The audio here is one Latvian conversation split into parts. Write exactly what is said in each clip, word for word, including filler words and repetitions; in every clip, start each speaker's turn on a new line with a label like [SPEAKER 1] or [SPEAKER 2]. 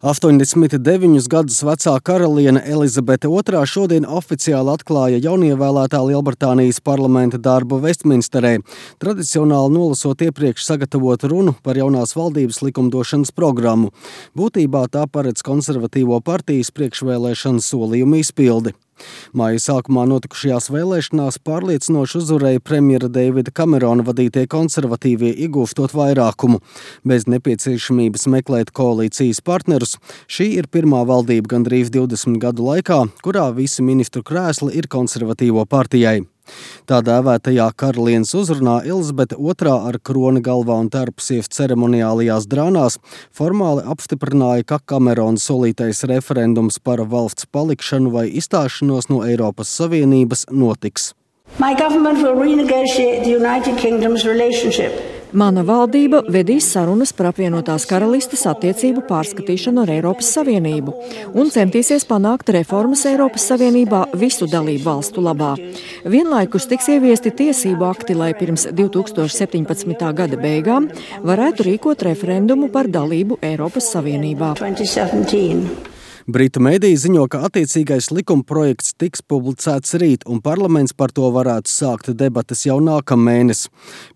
[SPEAKER 1] astoņdesmit deviņus gadus vecā karaliene Elizabete otrā šodien oficiāli atklāja jaunievēlētā Lielbritānijas parlamenta darbu Vestminsterē, tradicionāli nolasot iepriekš sagatavotu runu par jaunās valdības likumdošanas programmu. Būtībā tā paredz konservatīvo partijas priekšvēlēšanu solījumu izpildi. Māja sākumā notikušajās vēlēšanās pārliecinoši uzvarēja premjera Deivida Kamerona vadītie konservatīvie, iegūstot vairākumu. Bez nepieciešamības meklēt koalīcijas partnerus, šī ir pirmā valdība gandrīz divdesmit gadu laikā, kurā visi ministru krēsli ir konservatīvo partijai. Tā dēvētajā karalienes uzrunā Elizabete otrā ar kroni galvā un tērpsies ceremoniālajās drānās formāli apstiprināja, ka Kamerona solītais referendums par valsts palikšanu vai izstāšanos no Eiropas Savienības notiks.
[SPEAKER 2] My government will renegotiate the United Kingdom's relationship.
[SPEAKER 3] Mana valdība vedīs sarunas par apvienotās karalistes attiecību pārskatīšanu ar Eiropas Savienību un centīsies panākt reformas Eiropas Savienībā visu dalību valstu labā. Vienlaikus tiks ieviesti tiesību akti, lai pirms divi tūkstoši septiņpadsmitā gada beigām varētu rīkot referendumu par dalību Eiropas Savienībā.
[SPEAKER 1] Britu mediji ziņo, ka attiecīgais likuma projekts tiks publicēts rīt, un parlaments par to varētu sākt debates jau nākamēnes.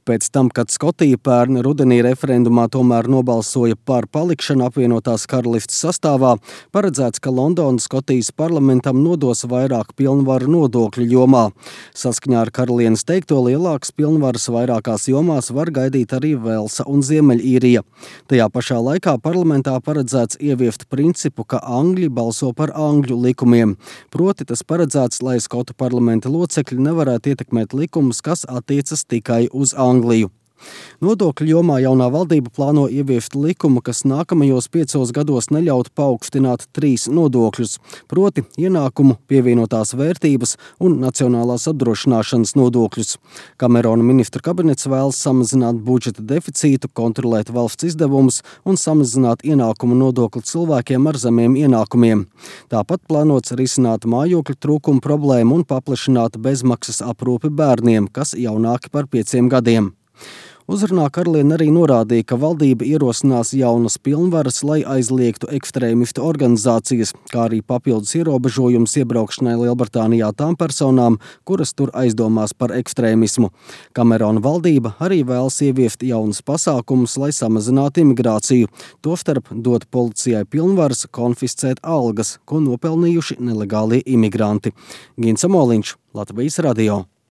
[SPEAKER 1] Pēc tam, kad Skotija pērn rudenī referendumā tomēr nobalsoja par palikšanu apvienotās karalistes sastāvā, paredzēts, ka Londona Skotijas parlamentam nodos vairāk pilnvaru nodokļu jomā. Saskaņā ar karalienes teikto, lielākas pilnvaras vairākās jomās var gaidīt arī Velsa un Ziemeļīrija. Tajā pašā laikā parlamentā paredzēts ieviest principu, ka Angļi balso par angļu likumiem. Proti tas paredzēts, lai Skotu parlamenta locekļi nevarētu ietekmēt likumus, kas attiecas tikai uz Angliju. Nodokļu jomā jaunā valdība plāno ieviest likumu, kas nākamajos piecos gados neļautu paaugstināt trīs nodokļus, proti ienākumu, pievienotās vērtības un nacionālās apdrošināšanas nodokļus. Kamerona ministru kabinets vēlas samazināt budžeta deficītu, kontrolēt valsts izdevumus un samazināt ienākumu nodokli cilvēkiem ar zemiem ienākumiem. Tāpat plānots risināt mājokļu trūkumu problēmu un paplašināt bezmaksas aprūpi bērniem, kas jaunāki par pieciem gadiem. Uzrunā karaliene arī norādīja, ka valdība ierosinās jaunas pilnvaras, lai aizliegtu ekstrēmistu organizācijas, kā arī papildus ierobežojums iebraukšanai Lielbritānijā tām personām, kuras tur aizdomās par ekstrēmismu. Kamerona valdība arī vēlas ieviest jaunas pasākumus, lai samazinātu imigrāciju, tostarp dot policijai pilnvaras konfiscēt algas, ko nopelnījuši nelegālie imigranti. Gins Amoliņš, Latvijas radio.